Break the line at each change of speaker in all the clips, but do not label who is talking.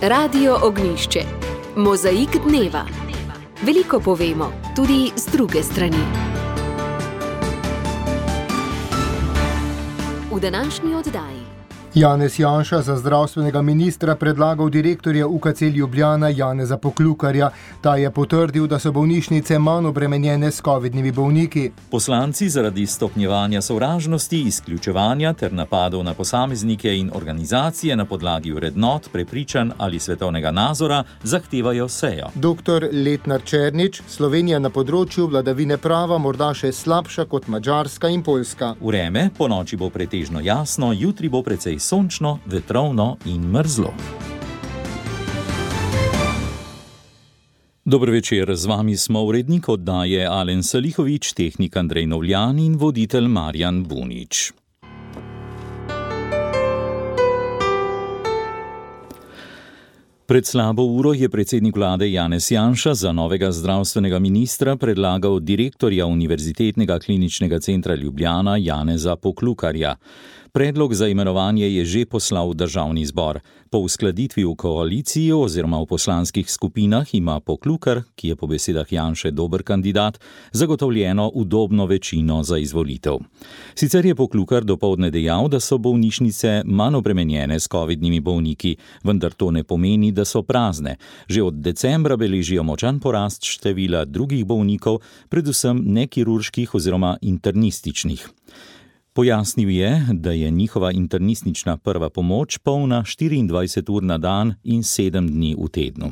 Radio Ognjišče. Mozaik dneva. Veliko povemo, tudi z druge strani. V današnji oddaji.
Janez Janša za zdravstvenega ministra predlagal direktorja UKC Ljubljana Janeza Poklukarja. Ta je potrdil, da so bolnišnice manj obremenjene s covidnimi bolniki.
Poslanci zaradi stopnjevanja sovražnosti, izključevanja ter napadov na posameznike in organizacije na podlagi vrednot, prepričanj ali svetovnega nazora zahtevajo sejo.
Dr. Letnar Černič, Slovenija na področju vladavine prava morda še slabša kot Madžarska in Poljska.
Vreme ponoči bo pretežno jasno, jutri bo precej sončno, vetrovno in mrzlo. Dober večer, z vami smo urednik oddaje Alen Salihovič, tehnik Andrej Novljan in voditelj Marjan Bunič. Pred slabo uro je predsednik vlade Janez Janša za novega zdravstvenega ministra predlagal direktorja Univerzitetnega kliničnega centra Ljubljana Janeza Poklukarja. Predlog za imenovanje je že poslal v državni zbor. Po uskladitvi v koaliciji oziroma v poslanskih skupinah ima Poklukar, ki je po besedah Janše dober kandidat, zagotovljeno udobno večino za izvolitev. Sicer je Poklukar dopoldne dejal, da so bolnišnice manj obremenjene s covidnimi bolniki, vendar to ne pomeni, da so prazne. Že od decembra beležijo močan porast števila drugih bolnikov, predvsem nekirurških oziroma internističnih. Pojasnil je, da je njihova internistična prva pomoč polna 24 ur na dan in 7 dni v tednu.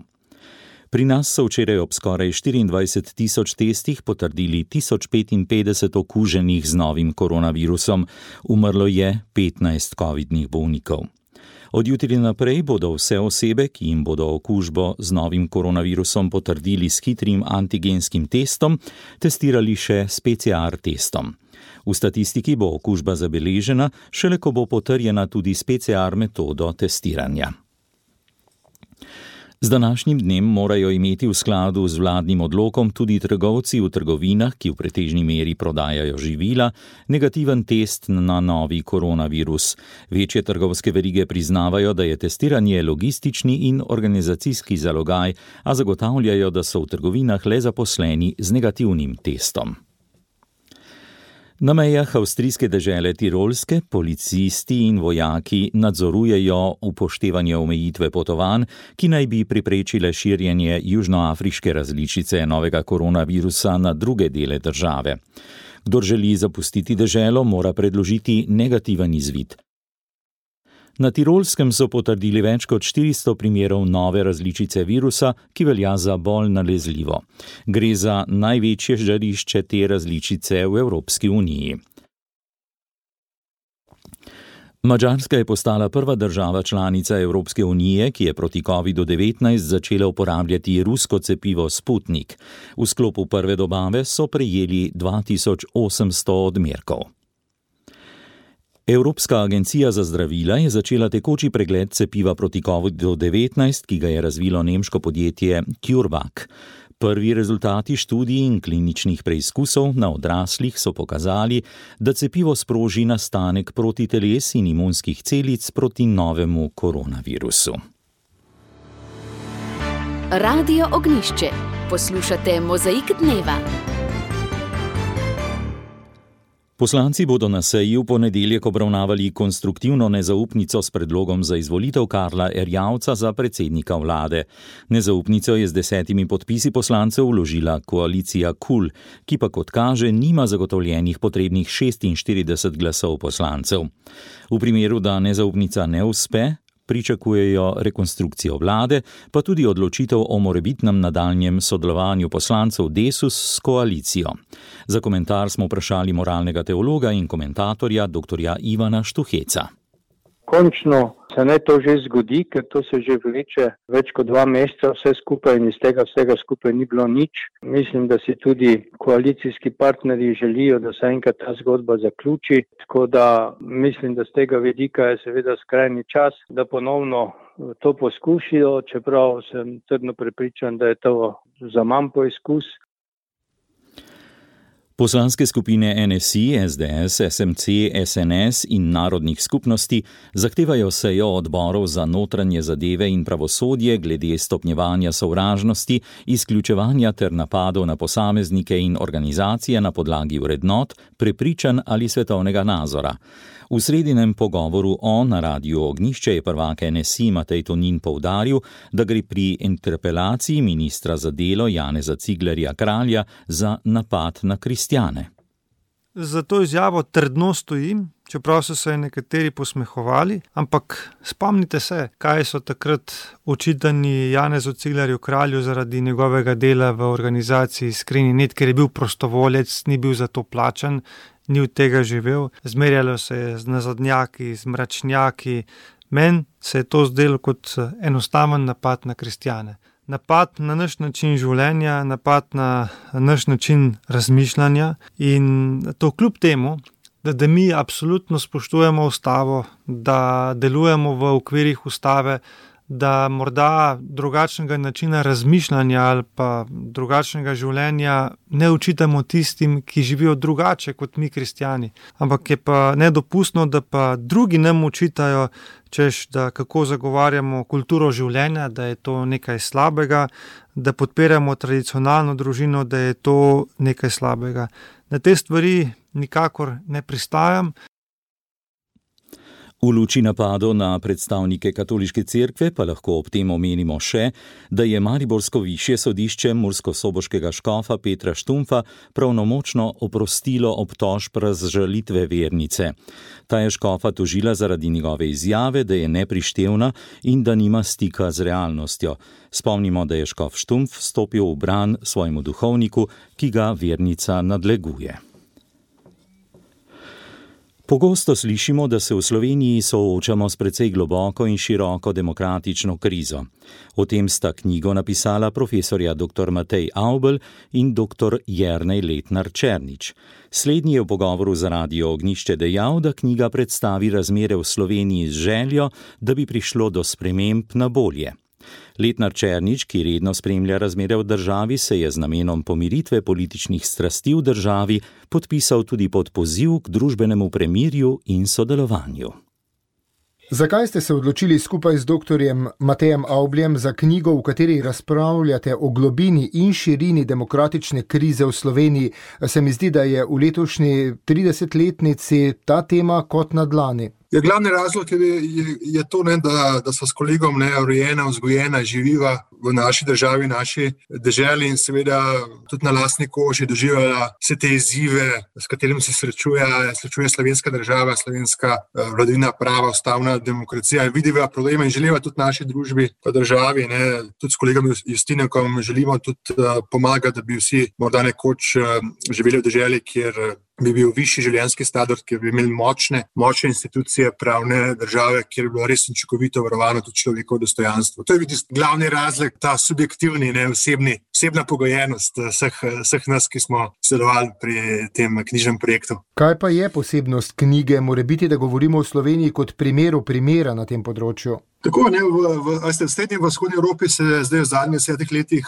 Pri nas so včeraj ob skoraj 24 tisoč testih potrdili 1055 okuženih z novim koronavirusom. Umrlo je 15 covidnih bolnikov. Od jutri naprej bodo vse osebe, ki jim bodo okužbo z novim koronavirusom potrdili s hitrim antigenskim testom, testirali še s PCR testom. V statistiki bo okužba zabeležena, šele ko bo potrjena tudi s PCR metodo testiranja. Z današnjim dnem morajo imeti v skladu z vladnim odlokom tudi trgovci v trgovinah, ki v pretežni meri prodajajo živila, negativen test na novi koronavirus. Večje trgovske verige priznavajo, da je testiranje logistični in organizacijski zalogaj, a zagotavljajo, da so v trgovinah le zaposleni z negativnim testom. Na mejah avstrijske dežele Tirolske policisti in vojaki nadzorujejo upoštevanje omejitve potovanj, ki naj bi preprečile širjenje južnoafriške različice novega koronavirusa na druge dele države. Kdor želi zapustiti deželo, mora predložiti negativen izvid. Na Tirolskem so potrdili več kot 400 primerov nove različice virusa, ki velja za bolj nalezljivo. Gre za največje žarišče te različice v Evropski uniji. Madžarska je postala prva država članica Evropske unije, ki je proti COVID-19 začela uporabljati rusko cepivo Sputnik. V sklopu prve dobave so prejeli 2800 odmerkov. Evropska agencija za zdravila je začela tekoči pregled cepiva proti COVID-19, ki ga je razvilo nemško podjetje CureVac. Prvi rezultati študij in kliničnih preizkusov na odraslih so pokazali, da cepivo sproži nastanek protiteles in imunskih celic proti novemu koronavirusu.
Radio Ognjišče. Poslušate Mozaik dneva.
Poslanci bodo na seji v ponedeljek obravnavali konstruktivno nezaupnico s predlogom za izvolitev Karla Erjavca za predsednika vlade. Nezaupnico je z 10 podpisi poslancev vložila koalicija KUL, ki pa kot kaže nima zagotovljenih potrebnih 46 glasov poslancev. V primeru, da nezaupnica ne uspe, pričakujejo rekonstrukcijo vlade, pa tudi odločitev o morebitnem nadaljnjem sodelovanju poslancev Desus s koalicijo. Za komentar smo vprašali moralnega teologa in komentatorja dr. Ivana Štuheca.
Končno se naj to že zgodi, ker to se že vleče več kot 2 meseca vse skupaj in iz tega vsega skupaj ni bilo nič. Mislim, da si tudi koalicijski partnerji želijo, da se enkrat ta zgodba zaključi, tako da mislim, da z tega vidika je seveda skrajni čas, da ponovno to poskušijo, čeprav sem trdno prepričan, da je to za manj poizkus.
Poslanske skupine NSI, SDS, SMC, SNS in narodnih skupnosti zahtevajo sejo odborov za notranje zadeve in pravosodje glede stopnjevanja sovražnosti, izključevanja ter napadov na posameznike in organizacije na podlagi vrednot, prepričanj ali svetovnega nazora. V sredinem pogovoru na Radiu Ognjišče je prvak NSI Matej Tonin poudaril, da gre pri interpelaciji ministra za delo Janeza Ciglerja Kralja za napad na kristjane.
Za to izjavo trdno stojim, čeprav so se nekateri posmehovali, ampak spomnite se, kaj so takrat očitani Janezu Ciglerju Kralju zaradi njegovega dela v organizaciji Iskreni net, ker je bil prostovoljec, ni bil za to plačan, ni od tega živel, zmerjalo se je z nazadnjaki, z mračnjaki. Meni se je to zdelo kot enostaven napad na kristjane. Napad na naš način življenja, napad na naš način razmišljanja in to kljub temu, da mi absolutno spoštujemo ustavo, da delujemo v okvirih ustave, da morda drugačnega načina razmišljanja ali pa drugačnega življenja ne učitamo tistim, ki živijo drugače kot mi kristjani. Ampak je pa nedopustno, da pa drugi nam učitajo, češ, da kako zagovarjamo kulturo življenja, da je to nekaj slabega, da podpiramo tradicionalno družino, da je to nekaj slabega. Na te stvari nikakor ne pristajam.
V luči napadov na predstavnike katoliške cerkve pa lahko ob tem omenimo še, da je mariborsko višje sodišče murskosoboškega škofa Petra Štumfa pravnomočno oprostilo obtožb razžalitve vernice. Ta je škofa tožila zaradi njegove izjave, da je neprištevna in da nima stika z realnostjo. Spomnimo, da je škof Štumf stopil v bran svojemu duhovniku, ki ga vernica nadleguje. Pogosto slišimo, da se v Sloveniji soočamo s precej globoko in široko demokratično krizo. O tem sta knjigo napisala profesorja dr. Matej Avbelj in dr. Jernej Letnar Černič. Slednji je v pogovoru za Radio Ognjišče dejal, da knjiga predstavi razmere v Sloveniji z željo, da bi prišlo do sprememb na bolje. Letnar Černič, ki redno spremlja razmere v državi, se je z namenom pomiritve političnih strasti v državi podpisal tudi pod poziv k družbenemu premirju in sodelovanju.
Zakaj ste se odločili skupaj z doktorjem Matejem Avbljem za knjigo, v kateri razpravljate o globini in širini demokratične krize v Sloveniji? Se mi zdi, da je v letošnji 30-letnici ta tema kot na dlani.
Glavni razlog je to, da so s kolegom rojena, vzgojena, živiva v naši državi, naši deželi in seveda tudi na lastni koži doživljala vse te izzive, s katerimi se srečuje slovenska država, slovenska vladavina prava, ustavna demokracija. Vidiva probleme in želiva tudi naši družbi, pa državi, tudi s kolegom Justinekom želimo tudi pomagati, da bi vsi morda nekoč živeli v deželi, kjer bi bil višji življenjski standard, kjer bi imeli močne institucije pravne države, kjer bi bilo res učinkovito varovano tudi človekovo dostojanstvo. To je glavni razlog, ta subjektivni, osebna pogojenost vseh nas, ki smo sodelovali pri tem knjižnem projektu.
Kaj pa je posebnost knjige? Morebiti, da govorimo o Sloveniji kot primera na tem področju?
Tako, v srednji in vzhodni Evropi se zdaj v zadnjih 10 letih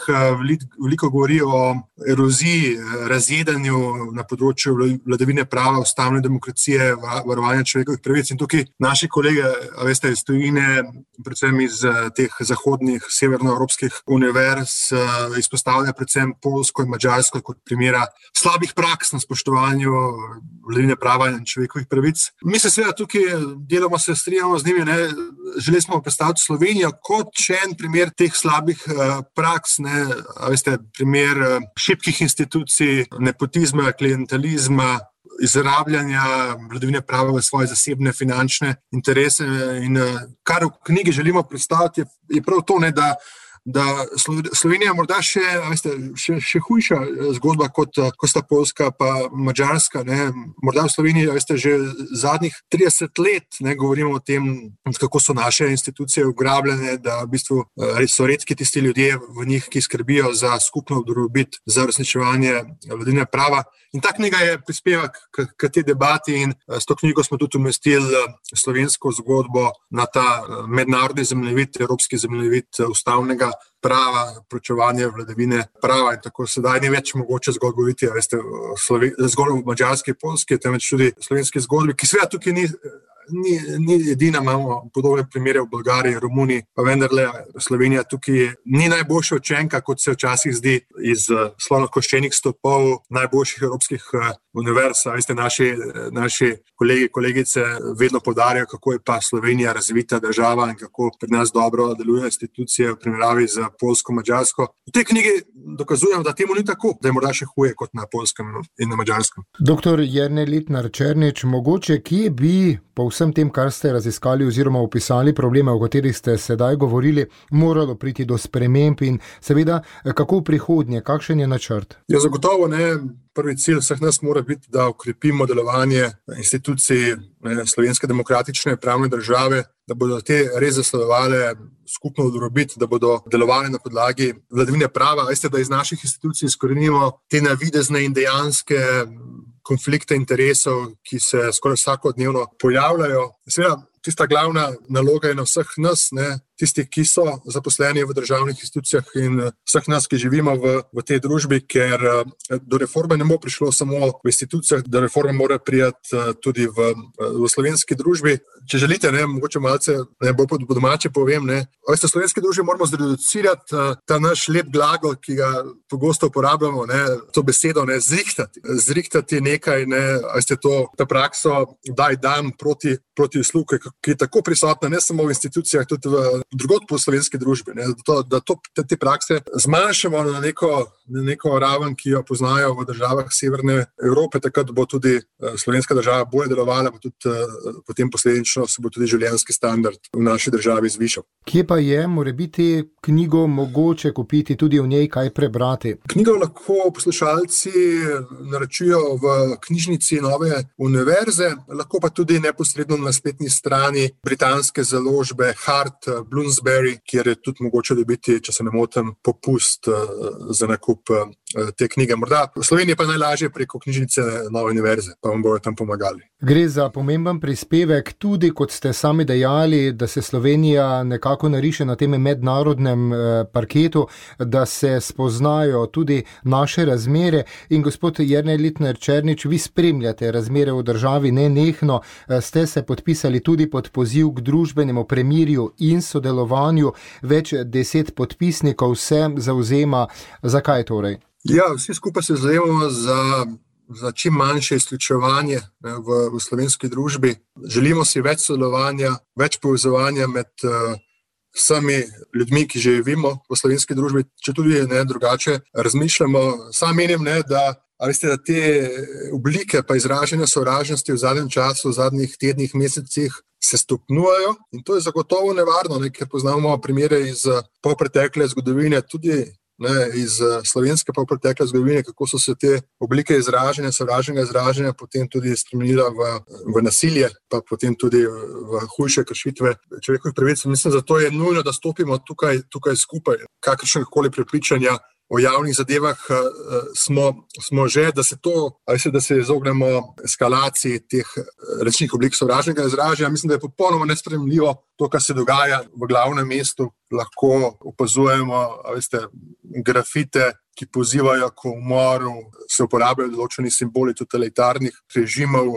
veliko govori o eroziji, razjedanju na področju vladavine prava, ustavne demokracije, varovanja človekovih pravic. In tukaj naši kolege, iz tujine, predvsem iz teh zahodnih, severnoevropskih univerz, izpostavljajo predvsem Poljsko in Madžarsko kot primera slabih praks na spoštovanju vladavine prava in človekovih pravic. Mi se seveda tukaj deloma se strinjamo z njimi, želeli smo predstaviti Slovenijo kot še en primer teh slabih praks, primer šibkih institucij, nepotizma, klientelizma, izrabljanja vladavine prava v svoje zasebne finančne interese. In kar v knjigi želimo predstaviti, je prav to, da Slovenija morda še hujša zgodba kot sta Poljska pa Madžarska. Morda v Sloveniji že zadnjih 30 let govorimo o tem, kako so naše institucije ugrabljene, da v bistvu so redki tisti ljudje v njih, ki skrbijo za skupno dobrobit, za uresničevanje vladavine prava. In ta knjiga je prispevek k tej debati in s to knjigo smo tudi umestili slovensko zgodbo na ta mednarodni zemljevid, evropski zemljevid ustavnega prava, proučevanje vladavine prava in tako sedaj ni več mogoče zgolj govoriti, zgolj v madžarski, poljski, temveč tudi slovenski zgodbi, ki seveda tukaj ni edina, imamo podobne primere v Bolgariji, Romuniji, pa vendarle Slovenija tukaj ni najboljša učenka, kot se včasih zdi iz slonokoščenih stopov najboljših evropskih univerz. Veste, naši kolegi, kolegice vedno poudarjajo, kako je pa Slovenija razvita država in kako pri nas dobro delujejo institucije v primerjavi z poljsko, madžarsko. V tej knjigi dokazujem, da temu ni tako, da je morda še huje kot na poljskem in na madžarskem.
Doktor Jernej Lintner Černič, mogoče kje bi po vsem tem, kar ste raziskali oziroma opisali probleme, o katerih ste sedaj govorili, moralo priti do sprememb in seveda, kako v prihodnje, kakšen je načrt?
Ja, zagotovo ne. Prvi cilj vseh nas mora biti, da okrepimo delovanje institucij slovenske demokratične pravne države, da bodo te res zasledovale skupno dobrobit, da bodo delovali na podlagi vladavine prava. Veste, da iz naših institucij izkorenimo te navidezne in dejanske konflikte interesov, ki se skoraj vsakodnevno pojavljajo. Seveda, tista glavna naloga je na vseh nas, tisti, ki so zaposleni v državnih institucijah in vseh nas, ki živimo v tej družbi, ker do reforme ne bo prišlo samo v institucijah, do reforme mora prijeti tudi v slovenski družbi. Če želite, mogoče malce bolj po domače povem, v slovenski družbi moramo zreducirati ta naš lep glagol, ki ga pogosto uporabljamo, to besedo, zrihtati. Zrihtati nekaj, veste, ta prakso daj dam proti usluge, ki je tako prisotna ne samo v institucijah, tudi drugod po slovenski družbi, da te prakse zmanjšamo na neko raven, ki jo poznajo v državah Severne Evrope, takrat bo tudi slovenska država bolje delovala, pa tudi potem posledično se bo tudi življenjski standard v naši državi zvišal.
Kje pa je, morebiti knjigo mogoče kupiti, tudi v njej kaj prebrati?
Knjigo lahko poslušalci naročijo v knjižnici Nove univerze, lahko pa tudi neposredno na spletni strani britanske založbe Hart Bloomsbury, kjer je tudi mogoče dobiti, če se ne motim, popust za nakup te knjige. Morda v Sloveniji pa najlažje preko knjižnice Nove univerze, pa vam bojo tam pomagali.
Gre za pomemben prispevek, tudi kot ste sami dejali, da se Slovenija nekako nariše na tem mednarodnem parketu, da se spoznajo tudi naše razmere. In gospod Jernej Lintner Černič, vi spremljate razmere v državi nenehno, ste se podpisali tudi pod poziv k družbenemu premirju in sodelovanju, več 10 podpisnikov se zavzema. Zakaj torej?
Ja, vsi skupaj se zavzemamo za čim manjše izključevanje v slovenski družbi. Želimo si več sodelovanja, več povezovanja med vsemi ljudmi, ki živimo v slovenski družbi, če tudi drugače razmišljamo. Sam menim, da te oblike pa izražanja sovražnosti v zadnjem času, v zadnjih tednih, mesecih se stopnjujejo in to je zagotovo nevarno, ker poznamo primere iz polpretekle zgodovine, tudi iz slovenske polpretekle zgodovine, kako so se te oblike izražanja, sovražnega izražanja potem tudi spremenila v nasilje, pa potem tudi v hujše kršitve človekovih pravic. Mislim, zato je nujno, da stopimo tukaj skupaj. Kakršnekoli prepričanja o javnih zadevah smo že, da se izognemo eskalaciji teh različnih oblik sovražnega izražanja. Mislim, da je popolnoma nesprejemljivo to, kar se dogaja v glavnem mestu. Lahko opazujemo, grafite, ki pozivajo k umoru, se uporabljajo določeni simboli totalitarnih režimov.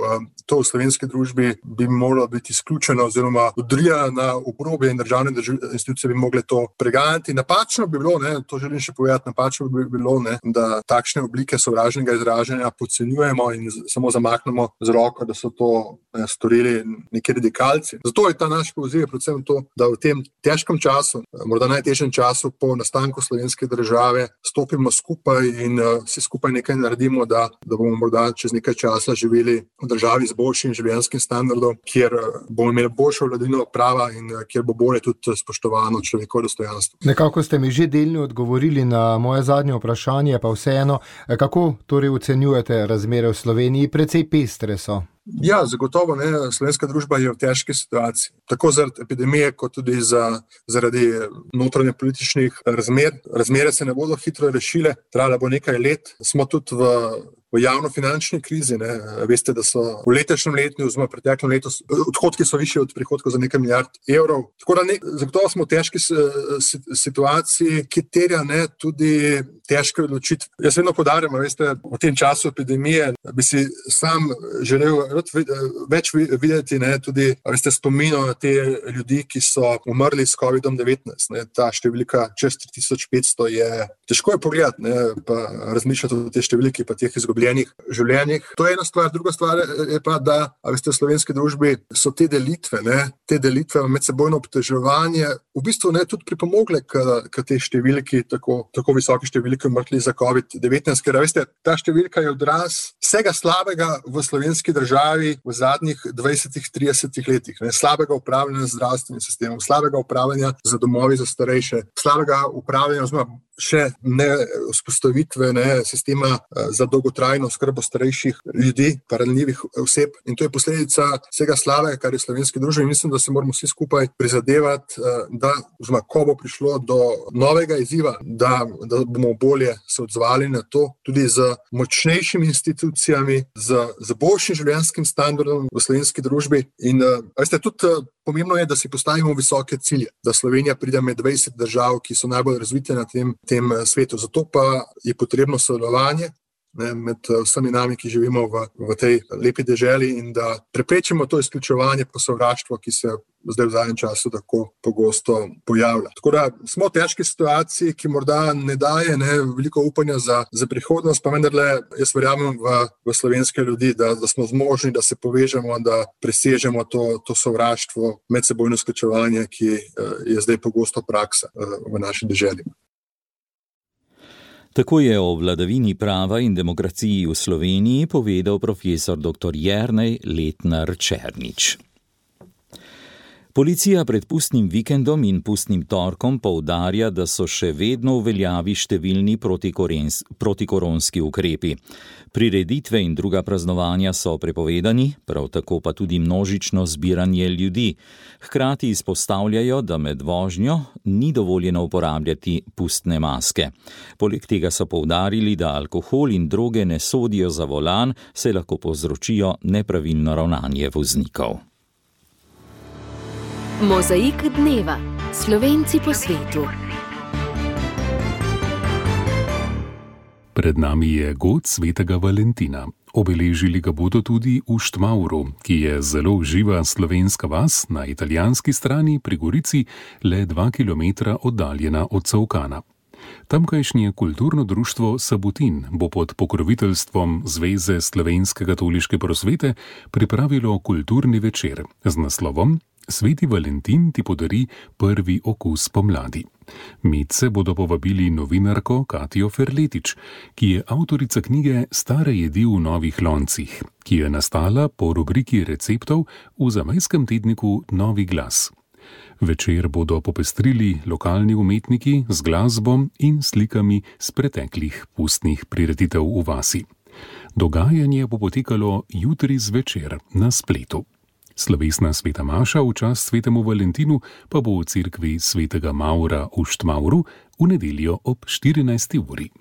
To v slovenski družbi bi moralo biti izključeno oziroma odrijano na obrobje in državne institucije bi mogle to preganjati. Napačno bi bilo, to želim še povedati, napačno bi bilo, da takšne oblike sovražnega izražanja podcenjujemo in samo zamaknemo z roko, da so to storili neki radikalci. Zato je ta naš poziv predvsem to, da v tem težkem času, morda najtežjem času po nastanku slovenske države, stopimo skupaj in vsi skupaj nekaj naredimo, da bomo morda čez nekaj časa živeli v državi z boljšim življenjskim standardom, kjer bomo imeli boljšo vladavino prava in kjer bo bolje tudi spoštovano človekovo dostojanstvo.
Nekako ste mi že delno odgovorili na moje zadnje vprašanje, pa vseeno, kako torej ocenjujete razmere v Sloveniji? Precej pestre so.
Ja, zagotovo slovenska družba je v težki situaciji. Tako zaradi epidemije, kot tudi zaradi notranje političnih razmer. Razmere se ne bodo hitro rešile, trajalo bo nekaj let. Smo tudi v v javnofinančni krizi. Veste, da so v letošnjem letu, oziroma preteklem letu, odhodki so višji od prihodkov za nekaj milijard evrov. Tako da zagotovo smo v težki situaciji, ki terja tudi težke odločitve. Jaz vedno poudarjam, veste, v tem času epidemije bi si sam želel več videti tudi, veste, spominov na te ljudi, ki so umrli s COVID-19. Ta številka čez 3500 je težko pogledati, pa razmišljati o tej številki, pa teh izgubljenih življenjih. To je ena stvar. Druga stvar je pa, da veste, v slovenski družbi so te delitve, medsebojno obtoževanje v bistvu tudi pripomogle k tej številki, tako visoki številki umrli za COVID-19, ker veste, ta številka je odraz vsega slabega v slovenski državi v zadnjih 20-30 letih. Slabega upravljanja z zdravstvenim sistemom, slabega upravljanja z domovi za starejše, slabega upravljanja oziroma še ne vzpostavitve sistema za dolgotrajno oskrbo starejših ljudi, ranljivih oseb. In to je posledica vsega slabega, kar je v slovenski družbi. Mislim, da se moramo vsi skupaj prizadevati, da ko bo prišlo do novega izziva, da bomo bolje se odzvali na to, tudi z močnejšimi institucijami, z boljšim življenjskim standardom v slovenski družbi. In veste, tudi pomembno je, da si postavimo visoke cilje, da Slovenija pride med 20 držav, ki so najbolj razvite na tem svetu. Zato pa je potrebno sodelovanje med vsemi nami, ki živimo v tej lepi deželi, in da preprečimo to izključevanje pa sovraštvo, ki se zdaj v zadnjem času tako pogosto pojavlja. Tako da smo v težki situaciji, ki morda ne daje veliko upanja za prihodnost, pa vendarle jaz verjamem v slovenske ljudi, da smo zmožni, da se povežemo, da presežemo to sovraštvo, medsebojno izključevanje, ki je zdaj pogosto praksa v naši deželi.
Tako je o vladavini prava in demokraciji v Sloveniji povedal profesor dr. Jernej Letnar Černič. Policija pred pustnim vikendom in pustnim torkom poudarja, da so še vedno v veljavi številni protikoronski ukrepi. Prireditve in druga praznovanja so prepovedani, prav tako pa tudi množično zbiranje ljudi. Hkrati izpostavljajo, da med vožnjo ni dovoljeno uporabljati pustne maske. Poleg tega so poudarili, da alkohol in droge ne sodijo za volan, saj lahko povzročijo nepravilno ravnanje voznikov.
Mozaik dneva. Slovenci po svetu.
Pred nami je god svetega Valentina. Obeležili ga bodo tudi v Štmauru, ki je zelo živa slovenska vas na italijanski strani pri Gorici, le 2 kilometra oddaljena od Cavkana. Tamkajšnje kulturno društvo Sabutin bo pod pokroviteljstvom Zveze slovenske katoliške prosvete pripravilo kulturni večer z naslovom Sveti Valentin ti podari prvi okus pomladi. Medse bodo povabili novinarko Katijo Ferletič, ki je avtorica knjige Stare jedi v novih loncih, ki je nastala po rubriki receptov v zamejskem tedniku Novi glas. Večer bodo popestrili lokalni umetniki z glasbo in slikami z preteklih pustnih prireditev v vasi. Dogajanje bo potekalo jutri zvečer na spletu. Slovesna sveta maša v čast svetemu Valentinu pa bo v cerkvi svetega Maura v Štmauru v nedeljo ob 14. uri.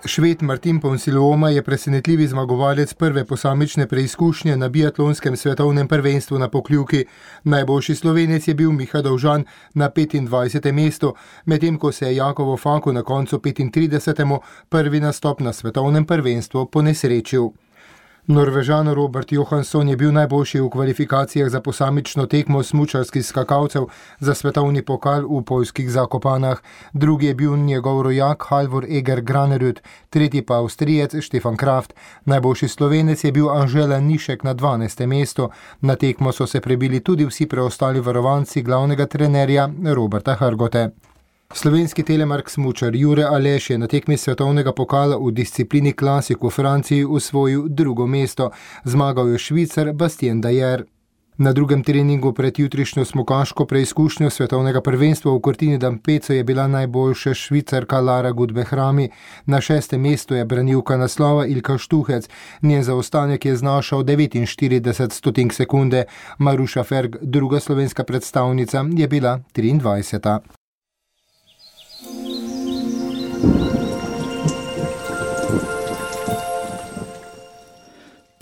Šved Martin Ponsiluoma je presenetljivi zmagovalec prve posamične preizkušnje na biatlonskem svetovnem prvenstvu na Pokljuki. Najboljši Slovenec je bil Miha Dovžan na 25. mestu, medtem ko se je Jakovo Faku na koncu 35. prvi nastop na svetovnem prvenstvu ponesrečil. Norvežan Robert Johansson je bil najboljši v kvalifikacijah za posamično tekmo smučarskih skakalcev za svetovni pokal v poljskih Zakopanah. Drugi je bil njegov rojak Halvor Eger Granerud, tretji pa Avstrijec Stefan Kraft. Najboljši Slovenec je bil Anžela Nišek na 12. mestu. Na tekmo so se prebili tudi vsi preostali varovanci glavnega trenerja Roberta Hrgote. Slovenski telemark smučar Jure Aleš je na tekmi svetovnega pokala v disciplini klasik v Franciji osvojil drugo mesto. Zmagal je Švicar Bastien Dayer. Na drugem treningu pred jutrišnjo smukaško preizkušnjo svetovnega prvenstva v Cortina d'Ampezzo je bila najboljša Švicarka Lara Gutbehrami. Na 6. mestu je branilka naslova Ilka Štuhec. Njen zaostanek je znašal 49 stotink sekunde. Maruša Ferg, druga slovenska predstavnica, je bila 23.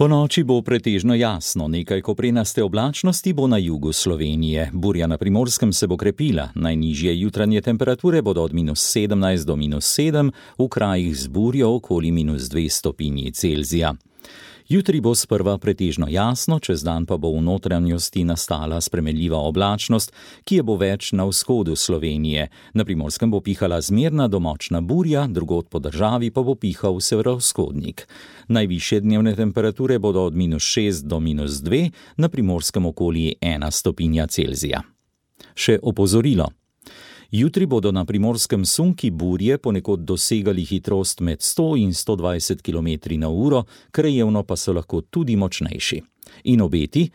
Po noči bo pretežno jasno, nekaj koprenaste oblačnosti bo na jugu Slovenije. Burja na Primorskem se bo krepila, najnižje jutranje temperature bodo od -17 do -7, v krajih z burjo okoli -2 stopinji Celzija. Jutri bo sprva pretežno jasno, čez dan pa bo v notranjosti nastala spremenljiva oblačnost, ki je bo več na vzhodu Slovenije. Na Primorskem bo pihala zmerna do močna burja, drugod po državi pa bo pihal severovzhodnik. Najvišje dnevne temperature bodo od -6 do -2, na Primorskem okoli 1 stopinja Celzija. Še opozorilo. Jutri bodo na Primorskem sunki burje ponekod dosegali hitrost med 100 in 120 km/h, krajevno pa so lahko tudi močnejši. In obeti?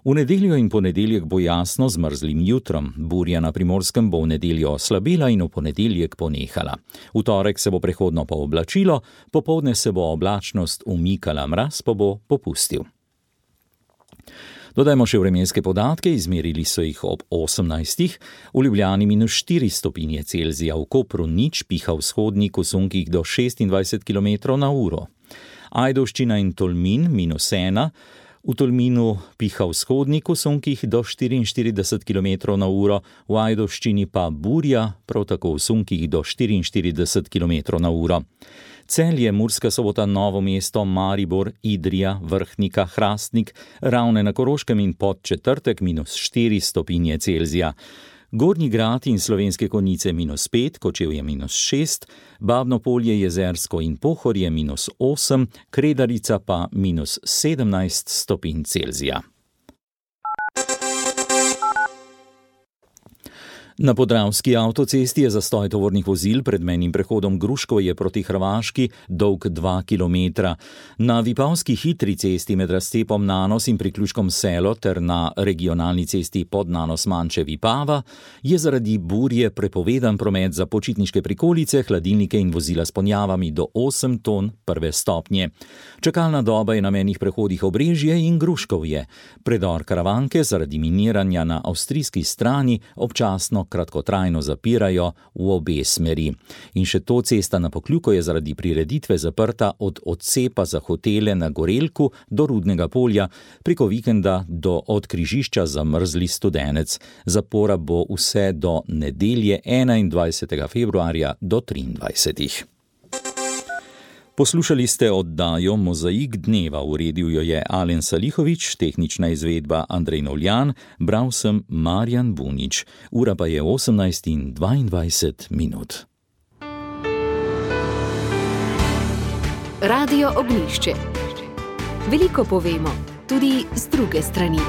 V nedeljo in ponedeljek bo jasno z mrzlim jutrom. Burja na Primorskem bo v nedeljo oslabela in v ponedeljek ponehala. V torek se bo prehodno pooblačilo, popoldne se bo oblačnost umikala, mraz pa bo popustil. Dodajmo še vremenske podatke, izmerili so jih ob 18. V Ljubljani -4 stopinje Celzija, v Kopru 0, piha vzhodnik v sunkih do 26 km/h. Ajdovščina in Tolmin -1, v Tolminu piha vzhodnik v sunkih do 44 km/h, v Ajdovščini pa burja, prav tako v sunkih do 44 km/h. Celje, Murska Sobota, Novo mesto, Maribor, Idrija, Vrhnika, Hrastnik, Ravne na Koroškem in Podčetrtek -4 stopinje Celzija. Gornji Grad in Slovenske Konjice -5, Kočevje -6, Babno Polje, Jezersko in Pohorje -8, Kredarica pa -17 stopinj Celzija. Na Podravski avtocesti je zastoj tovornih vozil pred mejnim prehodom Gruškovje proti Hrvaški dolg 2 km. Na Vipavski hitri cesti med razcepom Nanos in priključkom Selo ter na regionalni cesti pod Nanos Manče Vipava je zaradi burje prepovedan promet za počitniške prikolice, hladilnike in vozila s ponjavami do 8 ton prve stopnje. Čakalna doba je na mejnih prehodih Obrežje in Gruškovje. Predor Karavanke zaradi miniranja na avstrijski strani občasno kratkotrajno zapirajo v obe smeri. In še to, cesta na Pokljuko je zaradi prireditve zaprta od odcepa za hotele na Gorelku do Rudnega polja, preko vikenda od križišča Zamrzli Studenec. Zapora bo vse do nedelje 21. februarja do 23. Poslušali ste oddajo Mozaik dneva, uredil jo je Alen Salihović, tehnična izvedba Andrej Novljan, bral sem Marjan Bunič. Ura pa je 18:22.
Radio Ognjišče. Veliko povemo, tudi z druge strani.